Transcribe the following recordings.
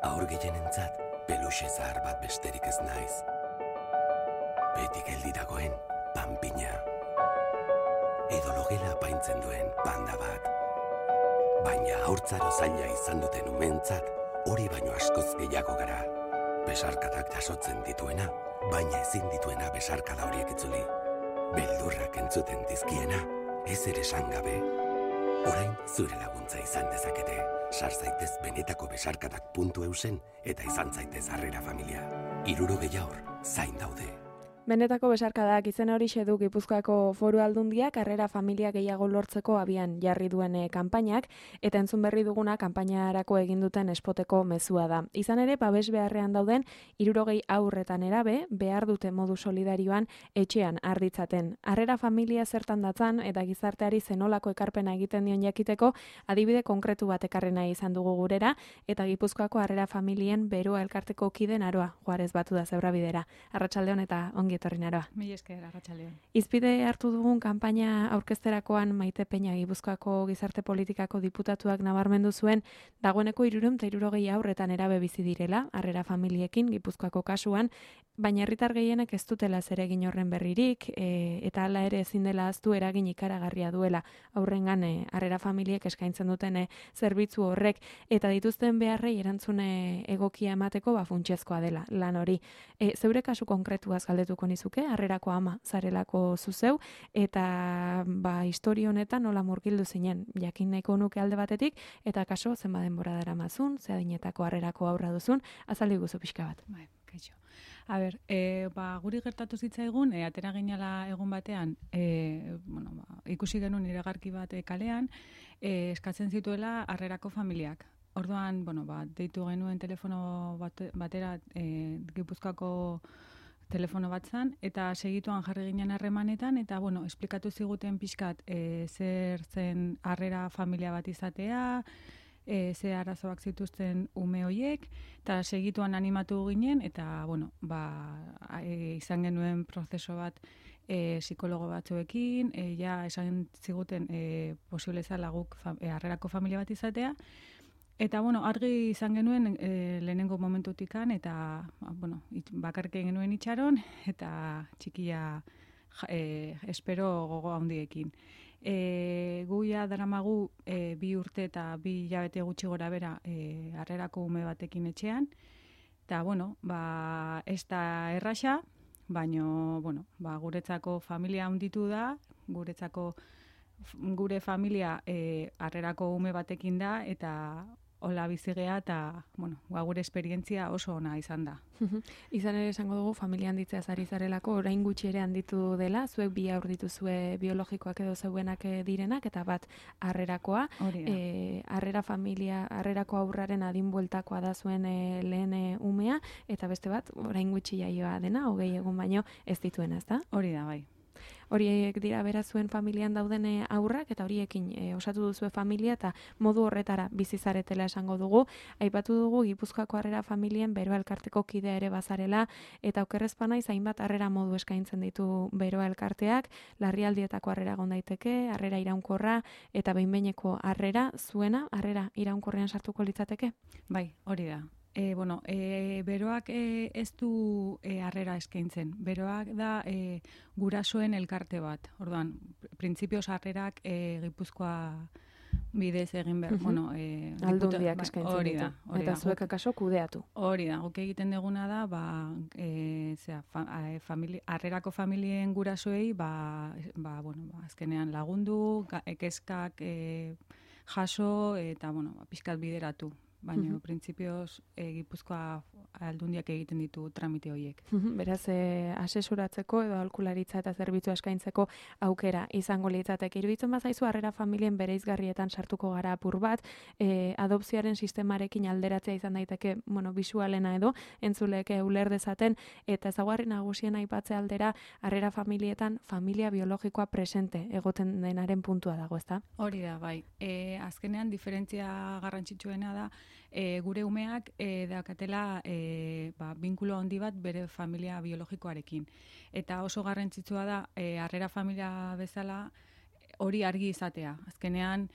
Haur gehienentzat, peluxe zahar bat besterik ez naiz. Beti geldi dagoen panpina. Edo logela apaintzen duen panda bat. Baina haurtzaro zaila izan duten umentzat, hori baino askoz gehiago gara. Besarkadak jasotzen dituena, baina ezin dituena besarkada horiek itzuli. Beldurrak entzuten dizkiena, ez ere esan gabe. Orain zure laguntza izan dezakete. Sar zaitez benetakoBesarkadak.eusen eta izan zaitez Harrera Familia. 60 haur zain daude. Benetako besarkadak izen horixe du Gipuzkoako Foru Aldundiak Harrera Familia gehiago lortzeko abian jarri duen kanpainak, eta entzun berri duguna kanpainarako egin duten espoteko mezua da. Izan ere, babes beharrean dauden 60 haur eta nerabe behar dute modu solidarioan etxean arditzaten. Harrera Familia zertan datzan eta gizarteari zenolako ekarpena egiten dion jakiteko adibide konkretu bat ekarri nahi izan dugu gurera, eta Gipuzkoako Harrera Familien Beroa elkarteko kide Naroa Juarez batu da Zebrabidera. Arratsaldeon eta ongi etorri Naroa. Mila esker, arratsaldeon. Izpide hartu dugun kanpaina aurkezterakoan Maite Peña Gipuzkoako gizarte politikako diputatuak nabarmendu zuen dagoeneko 360 haur eta nerabe bizi direla Harrera Familiekin Gipuzkoako kasuan, baina herritar gehienek ez dutela zeregin horren berririk, eta hala ere ezin dela ahaztu eragin ikaragarria duela aurrengan Harrera Familiek eskaintzen duten zerbitzu horrek, eta dituzten beharrei erantzune egokia emateko funtsezkoa dela lan hori. Zeure kasu konkretuaz galdetuko nizuke, Harrerako ama zarelako zuzeu, eta historia honetan nola murgildu zinen, jakin nahiko nuke alde batetik, eta kaso zenba denbora daramazun, ze adinetako Harrerako haurra duzun, azaldu guzu pixka bat. Bai, kaixo. A ber, guri gertatu zitzaigun, atera ginala egun batean, ikusi genuen iragarki bat kalean, eskatzen zituela Harrerako familiak. Orduan, deitu genuen telefono batera Gipuzkoako telefono bat zan, eta segituan jarri ginen harremanetan, eta, esplikatu ziguten pixkat zer zen Harrera Familia bat izatea, ze arazoak zituzten ume hoiek, eta segituan animatu ginen, eta, izan genuen prozeso bat psikologo batzuekin, esan ziguten posible zala guk Harrerako familia bat izatea, eta, argi izan genuen lehenengo momentutikan, eta, bakarrik genuen itxaron, eta txikia espero gogo handiekin. Guia daramagu 2 urte eta 2 hilabete gutxi gora bera Harrerako ume batekin etxean, eta, ez da erraxa, baina, guretzako familia handitu da, gure familia Harrerako ume batekin da, eta hola bizigea, eta, gure esperientzia oso ona izan da. Izan ere esango dugu, familia handitzeaz ari zarelako, orain gutxi ere handitu dela, zuek 2 haur dituzue biologikoak edo zeuenak direnak, eta bat Harrerakoa. Harrera Familia, Harrerako haurraren adin bueltakoa da zuen lehen umea, eta beste bat, orain gutxi jaioa dena, 20 egun baino ez dituena, ezta? Hori da, bai. Horiek dira bera zuen familian dauden haurrak, eta horiekin osatu duzue familia, eta modu horretara bizizaretela esango dugu. Aipatu dugu Gipuzkoako Harrera Familien Beroa elkarteko kidea ere bazarela, eta okerrezpana hainbat harrera modu eskaintzen ditu Beroa elkarteak, larrialdietako harrera egon daiteke, harrera iraunkorra, eta behin-behineko harrera zuena, harrera iraunkorrean sartuko litzateke? Bai, hori da. Beroak ez du harrera eskaintzen. Beroak da gurasoen elkarte bat. Orduan, printzipioz harrerak Gipuzkoa bidez egin behar. Aldundiak eskaintzen ditu. Eta zuek akaso kudeatu. Hori da, guk egiten deguna da, Harrerako familien gurasoei, azkenean lagundu, kezkak jaso, eta, pixkat bideratu. Baina, printzipioz, Gipuzkoa Aldundiak egiten ditu tramite horiek. Beraz, asesuratzeko edo aholkularitza eta zerbitzua eskaintzeko aukera izango litzateke. Iruditzen bazaizu Harrera Familien bereizgarrietan sartuko gara apur bat, adopzioaren sistemarekin alderatzea izan daiteke, bisualena edo, entzuleek uler dezaten, eta ezaugarri nagusien aipatze aldera Harrera Familietan familia biologikoa presente egoten denaren puntua dago, ezta? Hori da, bai. Azkenean, diferentzia garrantzitsuena da, gure umeak daukatela binkulo handi bat bere familia biologikoarekin. Eta oso garrantzitsua da, Harrera Familia bezala hori argi izatea. Azkenean,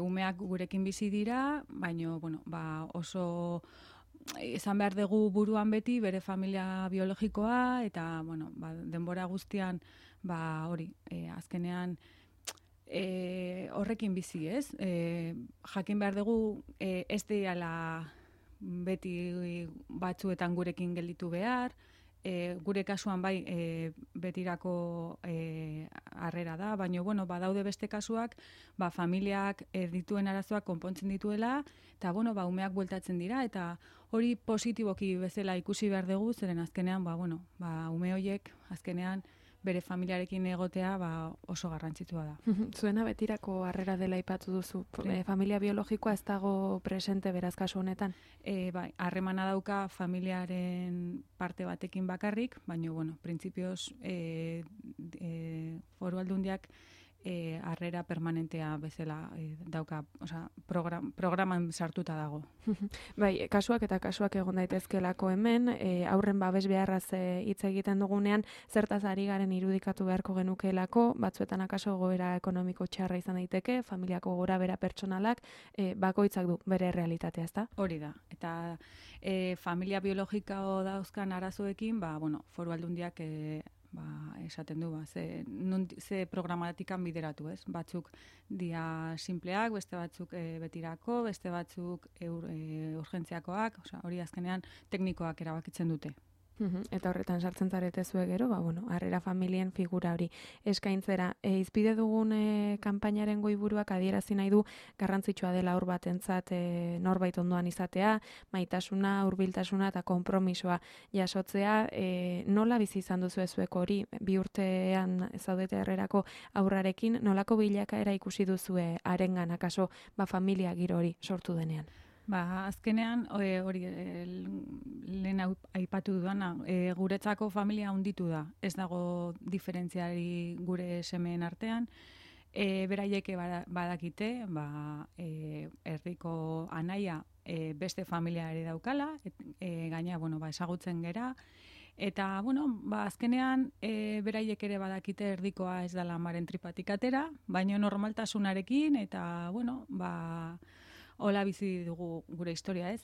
umeak gurekin bizi dira, baina oso izan behar dugu buruan beti bere familia biologikoa, eta, bueno, denbora guztian, hori, azkenean, horrekin bizi, ez? Jakin behar dugu, ez dela beti batzuetan gurekin gelditu behar, gure kasuan bai betirako harrera da, baina bueno, badaude beste kasuak, familiak dituen arazoak konpontzen dituela, eta bueno, umeak bueltatzen dira, eta hori positiboki bezala ikusi behar dugu, zeren azkenean, ume horiek azkenean bere familiarekin egotea oso garrantzitsua da. Zuena betirako harrera dela aipatu duzu. Familia biologikoa ez dago presente beraz kasu honetan? Bai, harremana dauka familiaren parte batekin bakarrik, baina, bueno, printzipioz Foru Aldundiak harrera permanentea bezala dauka, programan sartuta dago. Bai, kasuak egon daitezkelako hemen, aurren babes beharraz hitz egiten dugunean, zertaz ari garen irudikatu beharko genukeelako, batzuetan akaso goera ekonomiko txarra izan daiteke, familiako gora bera pertsonalak, bakoitzak du bere realitatea, ezta? Hori da, eta familia biologiko dauzkan arazoekin, Foru Aldundiak esaten du, ze programatikan bideratu, ez? Batzuk dia simpleak, beste batzuk betirako, beste batzuk urgentziakoak, hori azkenean teknikoak erabakitzen dute. Eta horretan sartzen zarete zue gero, harrera familien figura hori eskaintzera. Izpide dugun kanpainaren goiburuak adierazi nahi du garrantzitsua dela aur batentzat norbait ondoan izatea, maitasuna, hurbiltasuna eta konpromisoa jasotzea. Nola bizi izan duzu zuek hori, 2 urtean zaudete harrerako aurrarekin, nolako bilakaera ikusi duzue harengan akaso familia giro hori sortu denean? Azkenean, hori lehen aipatu duana, guretzako familia hunditu da. Ez dago diferentziari gure semeen artean. Beraieke badakite, erdiko anaia beste familia ere daukala, gaina, ezagutzen gera. Eta, azkenean, beraiek ere badakite erdikoa ez dela amaren tripatik atera, baina normaltasunarekin, eta, hola bizi dugu gure historia, ez?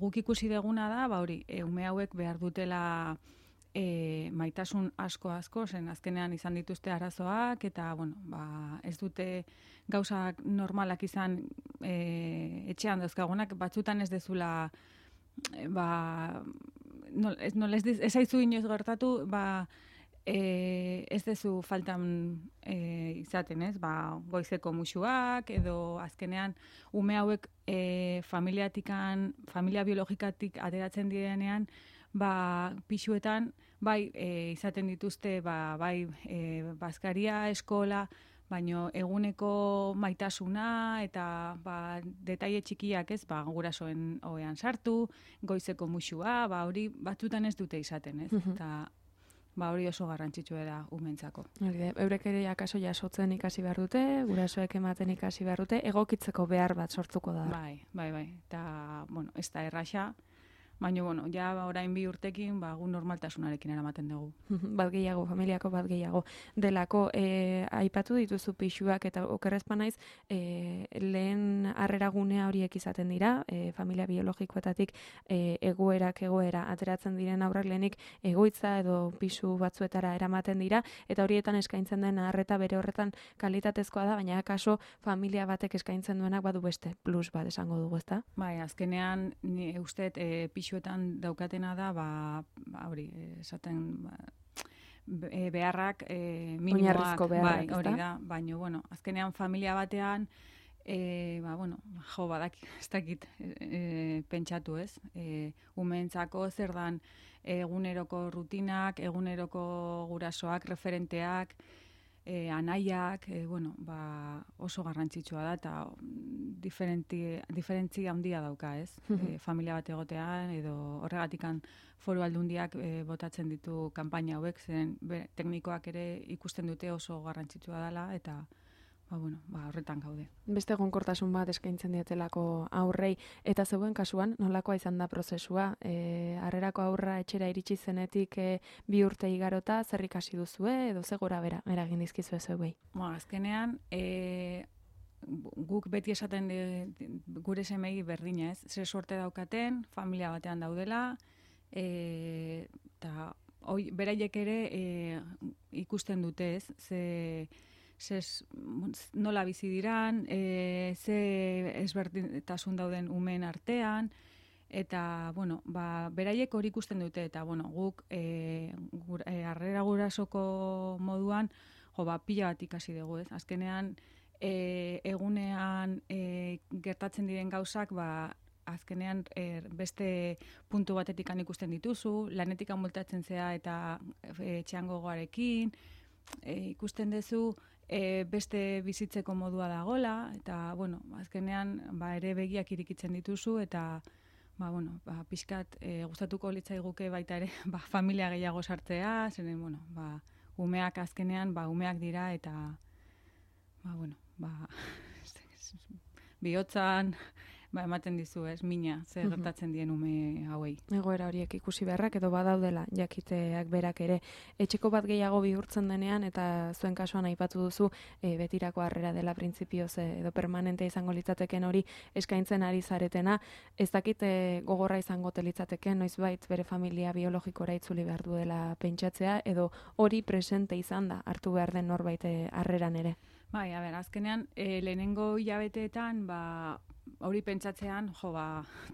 Guk ikusi deguna da, hori, ume hauek behar dutela maitasun asko, zen azkenean izan dituzte arazoak, eta, ez dute gauzak normalak izan etxean dauzkagunak, batzutan ez dezula, ez haizu inoiz gertatu, ez dezu faltan izaten, ez? Goizeko musuak, edo azkenean ume hauek familia biologikatik ateratzen direnean, pisuetan, izaten dituzte, bazkaria, eskola, baino eguneko maitasuna eta detaile txikiak, ez? Gurasoen ohean sartu, goizeko musua, hori batzutan ez dute izaten, ez? Eta hori oso garrantzitsua da umentzako. Eurek ere akaso jasotzen ikasi behar dute, gurasoek ematen ikasi behar dute, egokitzeko behar bat sortuko da. Bai. Eta, ez da erraxa, baina, ja orain 2 urtekin, gu normaltasunarekin eramaten dugu. Bat gehiago, familiako bat gehiago. Delako, aipatu dituzu pixuak eta okerrezpa naiz, lehen harreragunea horiek izaten dira, familia biologikoetatik egoera ateratzen diren aurrak lehenik egoitza edo pisu batzuetara eramaten dira, eta horietan eskaintzen den arreta bere horretan kalitatezkoa da, baina akaso familia batek eskaintzen duenak badu beste plus bat esango dugu, ezta? Azkenean, ni usteet pisuetan daukatena da, hori, esaten beharrak minimoak, hori da, baina, azkenean familia batean, badak, ez dakit pentsatu, ez? Umeentzako zer dan eguneroko rutinak, eguneroko gurasoak, referenteak, anaiak, oso garrantzitsua da, eta diferentzia handia dauka, ez? Familia bat egotean, edo horregatikan Foru Aldundiak botatzen ditu kanpaina hauek, zen teknikoak ere ikusten dute oso garrantzitsua dela, eta horretan gaude. Beste egonkortasun bat eskaintzen dietelako aurrei, eta zeuen kasuan, nolakoa izan da prozesua? Harrerako aurra etxera iritsi zenetik 2 urte igarota, zer ikasi duzue, edo ze gora bera eragin dizkizue zeuei? Azkenean, guk beti esaten gure semei berdina, ez? Ze sorte daukaten, familia batean daudela, eta beraiek ere ikusten dute, ez? Nola bizi diran, ze ezberdintasun dauden umeen artean, eta, bueno, beraiek hori ikusten dute, eta, bueno, guk harrera gurasoko moduan, pila bat ikasi dugu, ez? Azkenean, egunean gertatzen diren gauzak, azkenean beste puntu batetik ikusten dituzu, lanetik multatzen zea eta etxean gogoarekin, ikusten duzu beste bizitzeko modua dagola, eta, bueno, azkenean ere begiak irikitzen dituzu, eta, pixkat gustatuko litzaiguke baita ere, familia gehiago sartzea, zeren, bueno, umeak azkenean, umeak dira, eta, bihotzan, ematen dizu, ez, mina, zer gertatzen dien ume hauei. Egoera horiek ikusi beharrak edo badaudela jakiteak berak ere. Etxeko bat gehiago bihurtzen denean, eta zuen kasuan aipatu duzu, betirako harrera dela printzipioz edo permanente izango litzateken hori eskaintzen ari zaretena. Ez dakit gogorra izango litzateken, noizbait bere familia biologikora itzuli behar duela pentsatzea, edo hori presente izan da hartu behar den norbait harreran ere. Bai, azkenean, lehenengo hilabeteetan, hori pentsatzean,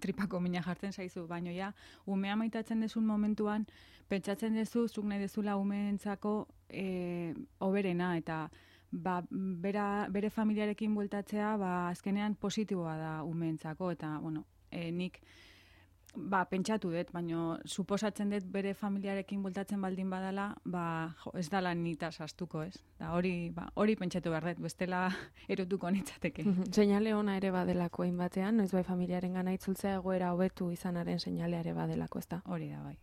tripako mina jartzen zaizu, baino umea maitatzen dezun momentuan, pentsatzen dezu, zuk nahi dezula umeentzako hoberena, eta bere familiarekin bueltatzea, azkenean positiboa da umeentzako, eta, bueno, nik pentsatu dut, baina suposatzen dut bere familiarekin bueltatzen baldin badala, ez dala nitaz astuko, ez? Hori pentsatu behar dut, bestela erotuko nitzateke. Seinale ona ere badelako hainbatean, noiz bai familiaren gana itzultzea egoera hobetu izanaren seinalea ere badelako, ez da? Hori da, bai.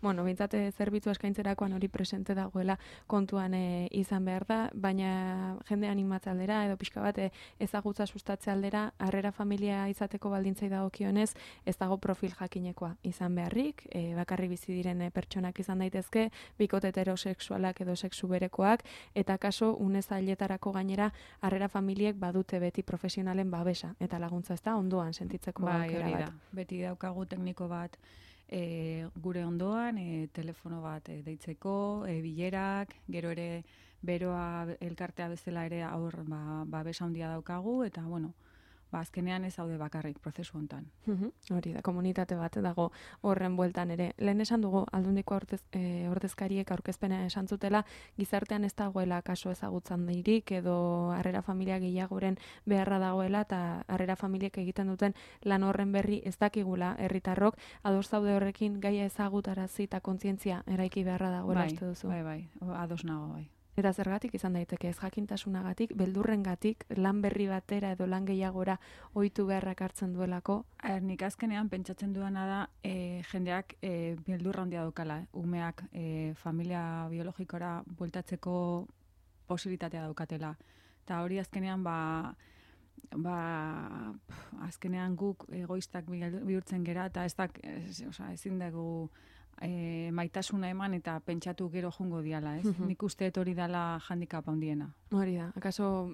Bueno, bintzate zerbitzu eskaintzerakoan hori presente dagoela kontuan izan behar da, baina jende animatze aldera, edo pixka bat ezagutza sustatze aldera, harrera familia izateko baldintzai dagokionez, ez dago profil jakinekoa izan beharrik, bakarri bizi diren pertsonak izan daitezke, bikote heterosexualak edo sexu berekoak, eta kaso unezailetarako gainera harrera familiek badute beti profesionalen babesa, eta laguntza ez da ondoan sentitzeko aukera bat. Beti daukagu tekniko bat gure ondoan, telefono bat deitzeko, bilerak, gero ere beroa elkartea bezala ere aur babesa handia daukagu, eta bueno, azkenean ez daude bakarrik prozesu hontan. Hori da, komunitate bat dago horren bueltan ere. Lehen esan dugu, Aldundiko ordezkariek aurkezpena esan zutela, gizartean ez dagoela kaso ezagutzan dirik, edo harrera familia gehiagoren beharra dagoela, eta harrera familiek egiten duten lan horren berri ez dakigula herritarrok, ados zaude horrekin gaia ezagutarazi eta kontzientzia eraiki beharra dagoela uste duzu. Bai, ados nago, bai. Eta zergatik izan daiteke, ez jakintasunagatik, beldurrengatik, lan berri batera edo lan gehiagora ohitu beharrak hartzen duelako? Nik azkenean pentsatzen duana da jendeak beldurra handia daukala. Umeak familia biologikora bueltatzeko posibilitatea daukatela. Eta hori azkenean azkenean guk egoistak bihurtzen gera, eta ezin dugu maitasuna eman eta pentsatu gero jongo diala, ez? Nik uste hori dela handicap handiena. Hori da, akaso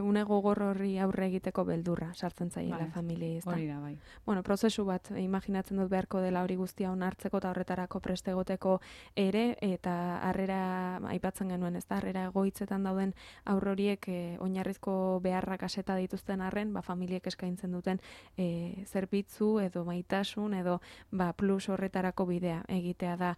une gogor horri aurre egiteko beldurra sartzen zaiela familia, ez da? Hori da, bai. Bueno, prozesu bat, imaginatzen dut beharko dela hori guztia onartzeko eta horretarako preste egoteko ere, eta harrera aipatzen genuen, ez da? Harrera egoitzetan dauden aurroriek oinarrizko beharrak aseta dituzten arren, familiek eskaintzen duten zerbitzu edo maitasun edo plus horretarako bidea egitea da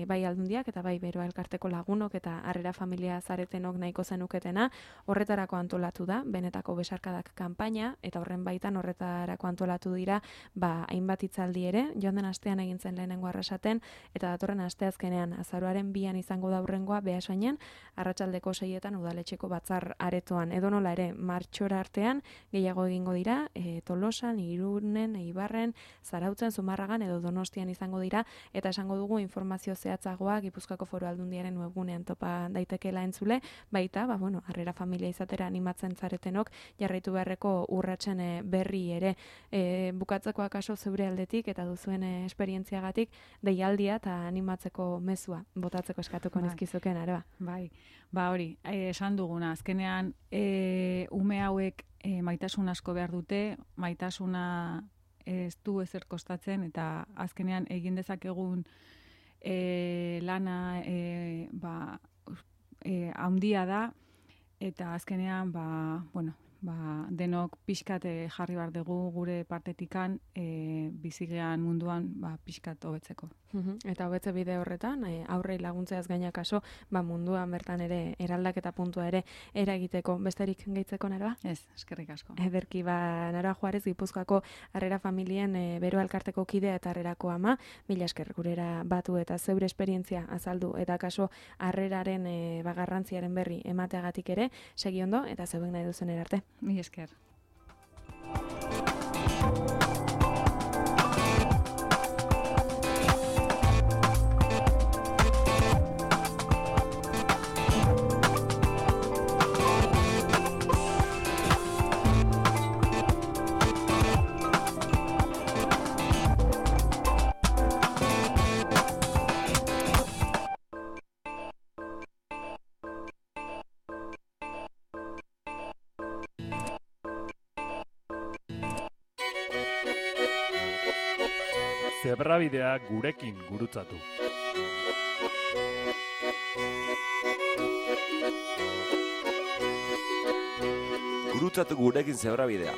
bai Aldundiak eta bai Beroa elkarteko lagunok eta harrera familia zaretenok nahiko zenuketena. Horretarako antolatu da benetako besarkadak kanpaina, eta horren baitan horretarako antolatu dira hainbat hitzaldi ere, joan den astean egin zen lehenengo arrasaten, eta datorren asteazkenean azaroaren 2an izango da hurrengoa Beasainen, arratsaldeko 6etan udaletxeko batzar aretoan. Edonola ere martxora artean gehiago egingo dira, Tolosan, Irunen, Eibarren, Zarautzen, Zumarragan edo Donostian izango dira, eta esango dugu informazio zehatzagoa Gipuzkoako Foru Aldundiaren webgunean topa daitekeela entzule, baita bueno, harrera familia izatera animatzen zaretenok, jarraitu beharreko urratsen berri ere bukatzeko akaso zeure aldetik eta duzuen esperientziagatik deialdia eta animatzeko mezua botatzeko eskatuko nizkizuken, Aroa. Bai, hori, esan duguna, azkenean ume hauek maitasun asko behar dute, maitasuna ez du ezer kostatzen, eta azkenean egin dezakegun lana handia da, eta azkenean denok pixkat jarri behar dugu gure partetikan bizigean munduan pixkat hobetzeko. Eta hobetze bide horretan, aurrei laguntzeaz gaina kaso, munduan bertan ere eraldaketa puntua ere eragiteko besterik gehitzeko, Naroa? Ez, eskerrik asko. Ederki, Naroa Juarez, Gipuzkoako harrera familien Bero Elkarteko kidea eta harrerako ama, mila esker gurera batu eta zeure esperientzia azaldu eta kaso harreraren garrantziaren berri emateagatik ere, segi ondo eta zeuek nahi duzen erarte. Mila esker. Zebrabidea gurekin gurutzatu. Gurutzatu gurekin zebrabidea.